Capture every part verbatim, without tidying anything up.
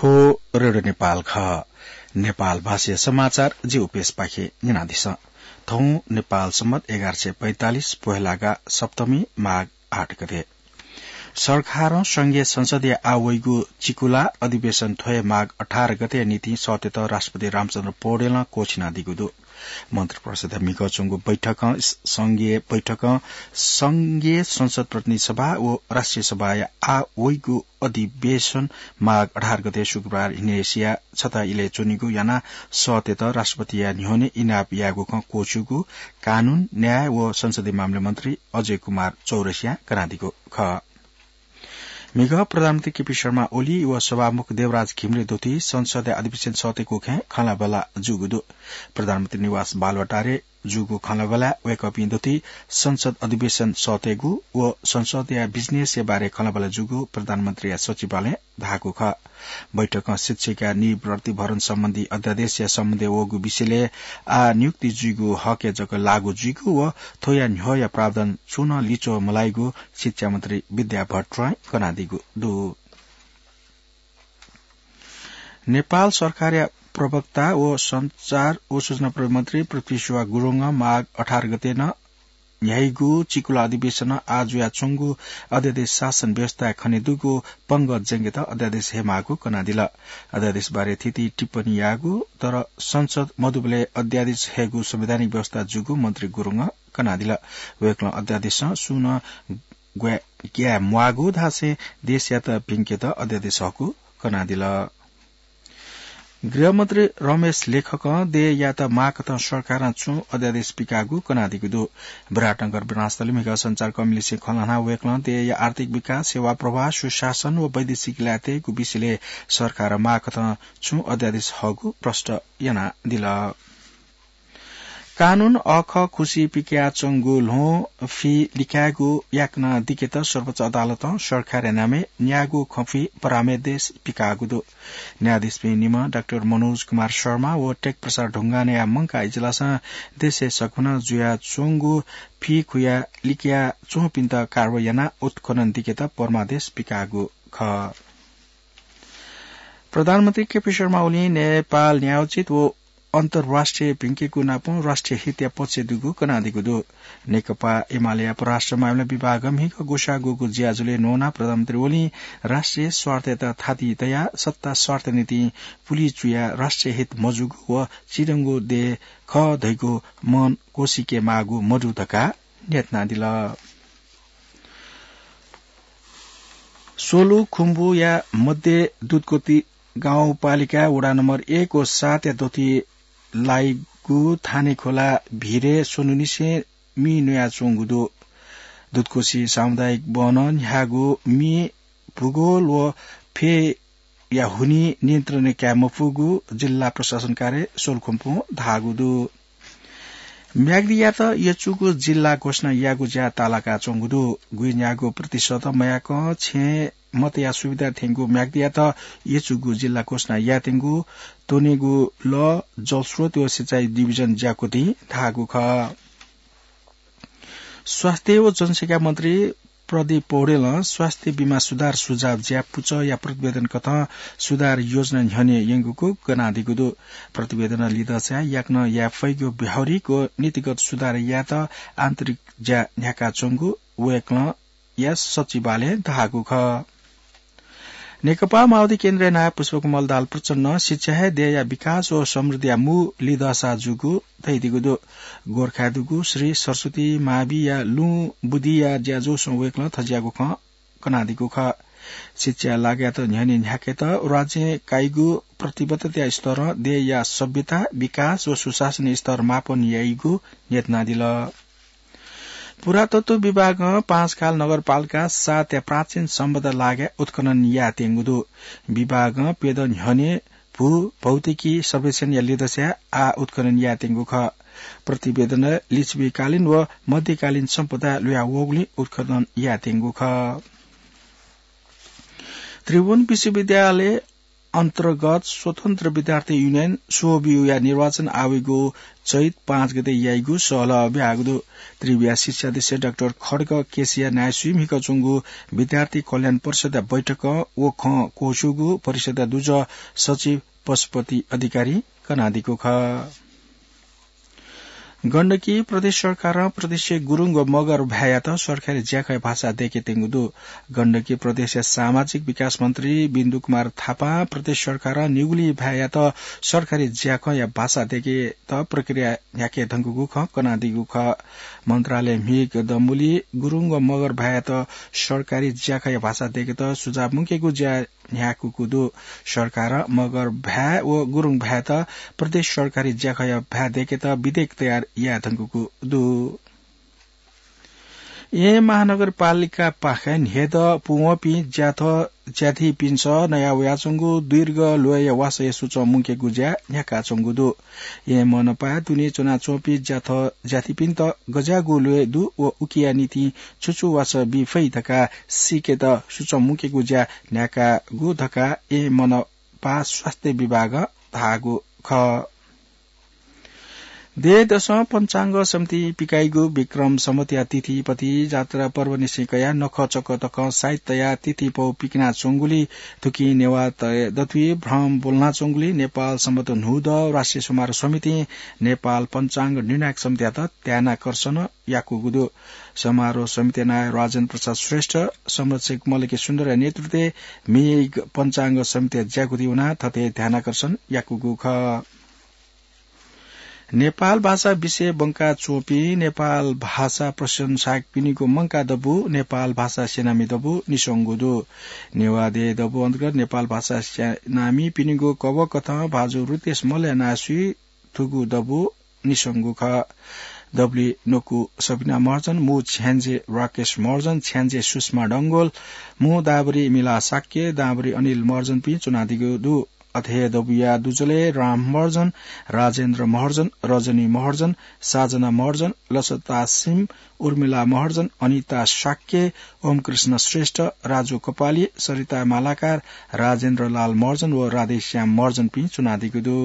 ओ रेडियो नेपाल खः। नेपाल भाषाया समाचार जि उपेशपाखें न्यनादिसँ। थौं नेपाल सम्बत एघार सय पैंतालिस पोहेलागा सप्तमी माघ आठ गते। सरकारं संघीय संसदया आः वइगु चिकुला अधिवेशन थ्वया माघ अठार गते निंतिं सःतेत राष्ट्रपति रामचन्द्र पौडेलं क्वःछिनादीगु दु। मन्त्रिपरिषदया म्हिगः च्वंगु बैठकं स-, संघीय बैठकं संघीय संसद प्रतिनिधि सभा व राष्ट्रिय सभाया आः वइगु अधिवेशन माघ अठार गते शुक्रबार न्हिनय्सिया छता इलय् च्वनीगु यानाः सःतेत राष्ट्रपतिया न्ह्यःने इनाप यायेगु खँ क्वःछिउगु कानून, न्याय व संसदीय मामला मन्त्री अजय कुमार चौरसियां कनादीगु खः। म्हिगः प्रधानमन्त्री केपी शर्मा ओली व सभामुख देवराज घिमिरे दुथि संसदया अधिवेशन सःतेगु खँय् खँल्हाबल्हा जूगु दु। प्रधानमन्त्री निवास बालुवाटारय् जूगु खँल्हाबल्हाय् वय्कःपिं दुथि संसद अधिवेशन सःतेगु व संसदया business-या बारे खँल्हाबल्हा जूगु प्रधानमन्त्रीया सचिवालयं धाःगु खः। बैठकं शिक्षकया नियुक्ति प्रतिभरण सम्बन्धी अध्यादेशया सम्बन्धय् वःगु विषयलय् आः नियुक्ति जुइगु हकय् जक लागू जुइगु व थ्वया न्ह्यःया प्रावधान छुं नं लिच्वः मलाइगु शिक्षा मन्त्री विद्या भट्टराईं कनादीगु दु। नेपाल सरकारया प्रवक्ता व सञ्चार व सूचना प्रविधि मन्त्री पृथ्वी सुवाह गुरुङं माघ अठार गते नं न्ह्याइगु चिकुला अधिवेशनं आः जुयाच्वंगु अध्यादेश शासन व्यवस्थाय् खनेदुगु पंगः ज्यंकेत अध्यादेश हयेमाःगु कनादिल। अध्यादेशबारे थीथी टिप्पणी याःगु, तर संसद मदुबलय् अध्यादेश हयेगु संवैधानिक व्यवस्था जूगु मन्त्री गुरुङं कनादिल। वय्कलं अध्यादेशं सुं नं ग्वाये, ग्याये म्वाःगु धासें देशयात भिंकेत अध्यादेश हःगु कनादिल। गृहमन्त्री रमेश लेखकं देय्‌यात माःकथं सरकारं छुं अध्यादेश पिकाःगु कनादीगु दु। विराटनगर विमानस्थलय् म्हिगः सञ्चारकर्मीलिसे खँ ल्हानाः वय्कलं देय्‌या आर्थिक विकास, सेवा प्रवाह, सुशासन व वैदेशिक ल्याय्‌तय्‌गु विषयलय् सरकारं माःकथं छुं अध्यादेश हःगु प्रष्ट यानादिल। कानून अःखः खुसि पिकयाच्वंगु ल्ह्वं फि लिकायेगु याकनं दिकेत सर्वोच्च अदालतं सरकारया नामय् न्यागू खँफि परामर्श पिकाःगु दु। न्यायाधीशपिं निम्ह डाक्टर मनोज कुमार शर्मा व टेक प्रसाद ढुङ्गानाया मंकाः इजलासं देशय् सकभनं जुयाच्वंगु फि खुया लिकयाच्वंपिन्त कारवाही यानाः उत्खनन दिकेत परामर्श पिकाःगु खः। प्रधानमन्त्री केपी शर्मा ओलीं नेपाल न्यायोचित व अन्तर्राष्ट्रिय भिंकेगु नापं राष्ट्रिय हितया पक्षय् दुगु कनादीगु दु। नेकपा एमालेया परराष्ट्र मामिला विभागं म्हिगः ग्वसाः ग्वःगु ज्याझ्वलय् न्वनाः प्रधानमन्त्री ओलीं राष्ट्रिय स्वार्थयात थाति तयाः सत्ता स्वार्थ निंतिं पुलि चुयाः राष्ट्रिय हित मजूगु व चिधंगु देय् खः धइगु मन क्वसिके माःगु मदु धकाः न्ह्यथनादिल। सोलुखुम्बुया मध्य दुधकोशी गाउँपालिका वडा नम्बर एक व सातया दथुइ लाइगु थाने खोला भिरय् स्वन्हुनिसें मि न्वयाच्वंगु दु। दुधकोशी सामुदायिक वनं न्ह्याःगु मि भूगोल व फय्‌या हुनिं नियन्त्रण काये मफुगु जिल्ला प्रशासन कार्यालय सोलुखुम्बुं धाःगु दु। म्याग्दीयात यचुगु जिल्ला घोषणा यायेगु ज्या तालाकाच्वंगु दु। गुइन्यागू प्रतिशत मयाकं छेँ मतया सुविधा थ्यंगु म्याग्दीयात यचुगु जिल्ला घोषणा यायेत्यंगु त्वनेगु लः, जलस्रोत व सिँचाइ डिभिजन ज्याकुथिं धाःगु खः। स्वास्थ्य व जनसंख्या मन्त्री प्रदीप पौडेलं स्वास्थ्य बीमा सुधार सुझाव ज्या पुचःया प्रतिवेदन कथं सुधार योजना न्ह्यःने यंगुगु कनादीगु दु। प्रतिवेदनं लिधंसाय् याकनं याये फइगु व्यावहारिक व नीतिगत सुधार यायेत आन्तरिक ज्या न्ह्याकाच्वंगु वय्कलं या सचिवालयं धाःगु खः। नेकपा माओवादी केन्द्रया नायः पुष्पकमल दाहाल प्रचण्डं शिक्षा हे देय्‌या विकास व समृद्धिया मू लिधंसा जूगु धयादीगु दु। गोरखाय् दुगु श्री सरस्वती माविया लुँ बुदिया ज्याझ्वलय् वय्कलं थज्याःगु खँ कनादीगु खः। शिक्षाया लागःयात न्ह्यःने न्ह्याकेत राज्यं काइगु प्रतिबद्धताया स्तरं देय्‌या सभ्यता, विकास व सुशासन स्तर मापन याइगु न्ह्यथनादिल। पुरातत्व विभागं पाँचखाल नगरपालिका सातया प्राचीन सम्पदा लागः उत्खनन यायेत्यंगु दु। विभागं प्यदँ न्ह्यःने भू भौतिकी सर्वेक्षणया लिधंसाय् आः उत्खनन यायेत्यंगु खः। प्रतिवेदनय् लिच्छविकालीन व मध्यकालीन सम्पदा ल्हुयावःगुलिं उत्खनन यायेत्यंगु खः। त्रिभुवन विश्वविद्यालय अन्तर्गत स्वतन्त्र विद्यार्थी युनियन, स्वबियुया निर्वाचन आवेगु चैत पाँच गते याइगु सहलह ब्यागु दु। त्रिविया शिक्षा अध्यक्ष डाक्टर खड्ग केसिया नायसुइ म्हिकच्वंगु विद्यार्थी कल्याण परिषद बैठक व खँ क्वस्यूगु परिषद दुजः सचिव पशुपति अधिकारी कनादीगु खः। गण्डकी प्रदेश सरकारं प्रदेशया गुरुङ व मगर भाय्‌यात सरकारी ज्याखँया भाषा दय्‌केत्यंगु दु। गण्डकी प्रदेशया सामाजिक विकास मन्त्री बिन्दु कुमार थापां प्रदेश सरकारं निगुली भाय्‌यात सरकारी ज्याखँया भाषा दय्‌केत प्रक्रिया न्ह्याके धुंकूगु खँ कनादीगु खः। मन्त्रालय म्हिगः दंबुली गुरुङ व मगर भाय्‌यात सरकारी ज्याखँया भाषा दय्‌केत सुझाव मुंकेगु ज्या न्ह्याकूगु दु। सरकारं मगर भाय् व गुरुङ भाय्‌यात प्रदेश सरकारी ज्याखँया भाय् दय्‌केत विधेयक तयार याये धुंकूगु दु। येँ महानगरपालिकापाखें न्ह्यदँ पुवंपिं ज्याथ ज्याथिपिन्सं नया वयाच्वंगु दीर्घ ल्वय्‌या वासःया सुचं मुंकेगु ज्या न्ह्याकाच्वंगु दु। येँ मनपाय् दुने च्वनाच्वंपिं ज्याथ ज्याथिपिन्त गज्याःगु ल्वय् दु व उकिया निंतिं छु छु वासः बी फइ धकाः सीकेत सुचं मुंकेगु ज्या न्ह्याकागु धकाः येँ मनपा स्वास्थ्य विभागं धाःगु खः। देय्‌दसं पञ्चाङ्ग समितिं पिकाइगु विक्रम सम्वतया तिथि पति जात्रा पर्वनिसें कयाः नखःचखः तकं साइत तयाः तिथिपौ पिकनाच्वंगुलिं थुकिं नेवाः दथुइ भ्रम ब्वलनाच्वंगुलिं नेपाल सम्बत न्हूदँ राष्ट्रिय समारोह समितिं नेपाल पञ्चाङ्ग निर्णायक समितियात ध्यानाकर्षण याकूगु दु। समारोह समितिया नायः राजेन्द्र प्रसाद श्रेष्ठ, संरक्षक मल्लकी सुन्दरया नेतृत्वय् म्हिगः पञ्चाङ्ग समितिया ज्याकुथि वनाः थथे ध्यानाकर्षण याकूगु खः। नेपाल भाषा विषय ब्वंकाच्वंपिं नेपाल भाषा प्रशंसाकपिनिगु मंकाः दबू नेपाल भाषा सेनामी दबू निस्वंगु दु। नेवाः देय् दबू अन्तर्गत नेपाल भाषा सेनामीपिनिगु कवःकथं भाजु रितेश मल्लया नायसुइ थुगु दबू निस्वंगु खः। दबुली न्वकू सबिना महर्जन, मू छ्याञ्जे राकेश महर्जन, छ्याञ्जे सुषमा डंगोल, मू दाबुरी मिला शाक्य, दाबुरी अनिल महर्जनपिं च्वनादीगु दु। अथे हे दबूया दुजलय् राम महर्जन, राजेन्द्र महर्जन, रजनी महर्जन, साजना महर्जन, लसता सिम, उर्मिला महर्जन, अनिता शाक्य, ओमकृष्ण श्रेष्ठ, राजु कपाली, सरिता मालाकार, राजेन्द्र लाल महर्जन व राधेश्याम महर्जनपिं च्वनादीगु दु।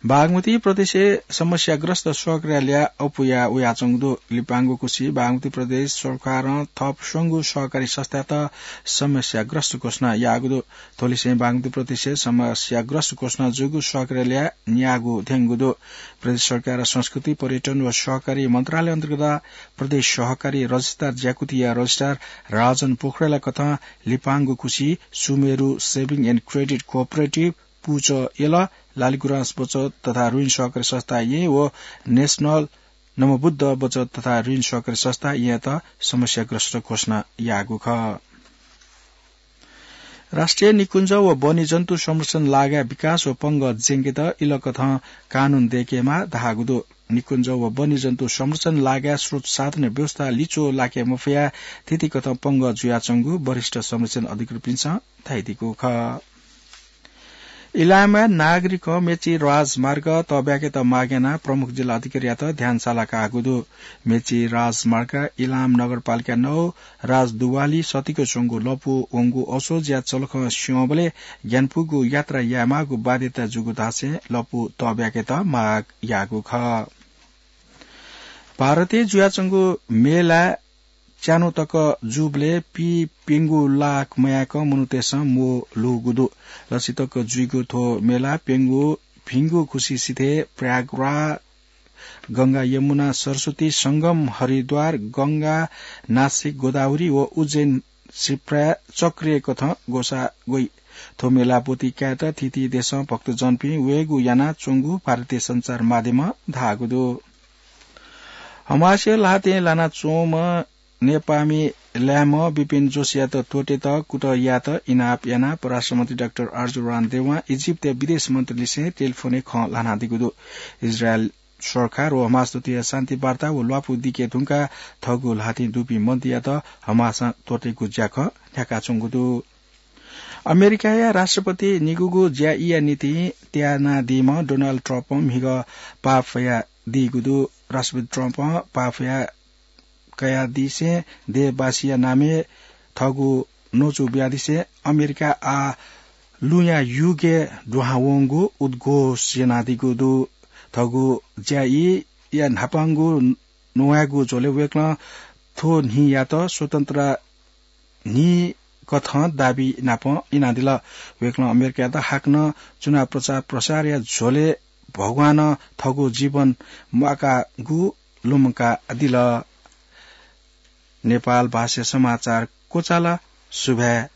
बागमती प्रदेशय् समस्याग्रस्त सहकारीया ल्याः अप्वया वयाच्वंगु दु। लिपांगु खुसी बागमती प्रदेश सरकारं थप स्वंगू सहकारी संस्थायात समस्याग्रस्त घोषणा याःगु दु। थ्व लिसें बागमती प्रदेशय् समस्याग्रस्त घोषणा जूगु सहकारीया ल्याः न्यागू धेंगु दु। प्रदेश सरकार संस्कृति, पर्यटन व सहकारी मन्त्रालय अन्तर्गत प्रदेश सहकारी रजिस्ट्रार ज्याकुथिया रजिस्ट्रार राजन पोखरेलया कथं लिपांगु खुसी Sumeru Saving and Credit Cooperative, पुचः यल, लालिगुराँस बचत तथा ऋण सहकारी संस्था येँ व नेशनल नमोबुद्ध बचत तथा ऋण सहकारी संस्था येँयात समस्याग्रस्त घोषणा याःगु खः। राष्ट्रिय निकुञ्ज व वन्यजन्तु संरक्षण लागाय् विकास व पंगः ज्यंकेत इलकथं कानून दय्‌केमाः धाःगु दु। निकुञ्ज व वन्यजन्तु संरक्षण लागाय् स्रोत साधन व्यवस्था लिच्वः लाके मफयाः थीथी कथं पंगः जुयाच्वंगु वरिष्ठ संरक्षण अधिकृतपिन्सं धयादीगु खः। इलामय् नागरिकं मेची राजमार्ग तःब्याकेत माग यानाः प्रमुख जिल्ला अधिकारीयात ध्यान साला काःगु दु। मेची राजमार्ग इलाम नगरपालिका नौ राजदुवाली सतिक च्वंगु लँपु वंगु असोजया चलखं स्यंबलय् ग्यानापुगु यात्रा यायेमाःगु बाध्यता जूगु धासें लँपु तःब्याकेत माग याःगु खः। भारतय् जुयाच्वंगु मेला च्यान्हु तक जूबलय् पीप्यंगू लाख मयाक मनूतय्सं म्वः लूगु दु। लछि तक जुइगु थ्व मेला प्यंगू भिंगु खुसी सिथय् प्रयागराज, गंगा यमुना सरस्वती संगम हरिद्वार, गंगा, नासिक, गोदावरी व उज्जैन, शिप्रा, चक्रिय कथं ग्वसाः ग्वइ। थ्व मेला ब्वति कायेत थीथी देशं भक्तजनपिं वयेगु यानाच्वंगु भारतीय सञ्चार माध्यमं धाःगु दु। हमासया ल्हातय् लानाच्वंम्ह नेपाःमि लाय्म्ह विपिन जोशीयात त्वःतेत कुतः यायेत इनाप यानाः परराष्ट्र मन्त्री डाक्टर आरजु रान देवां इजिप्टया विदेश मन्त्रीलिसें टेलिफोनय् खँ ल्हानादीगु दु। इजरायल सरकार व हमास दथुया शान्ति वार्ता व ल्वापु दिके धुंकाः थःगु ल्हातिं दुपिं मन्त्रीयात हमासं त्वःतेगु ज्याखँ न्ह्याकाच्वंगु दु। अमेरिकाया राष्ट्रपति निगूगु ज्या यायेया निंतिं त्यानादीम्ह डोनाल्ड ट्रम्पं म्हिगः पाफया दीगु दु। राष्ट्रपति ट्रम्पं पाफया कयादीसें देशवासीया नामय् थःगु नोचु ब्यादिसे अमेरिका आ लुया युगे दुहावंगु उद्घोष यानादीगु दु। थगु ज्याइया न्हापांगु नुवायेगु झ्वले वय्कलं थ्व न्हियात स्वतन्त्र न्हि कथं दाबी नाप इनादिल। वय्कलं अमेरिकायात हाकनं चुनाव प्रचार प्रसारया झ्वले भगवानं थगु जीवन म्वाकागु लुमंकादिल। नेपाल भाषा समाचार क्वचाल। सुभाय्।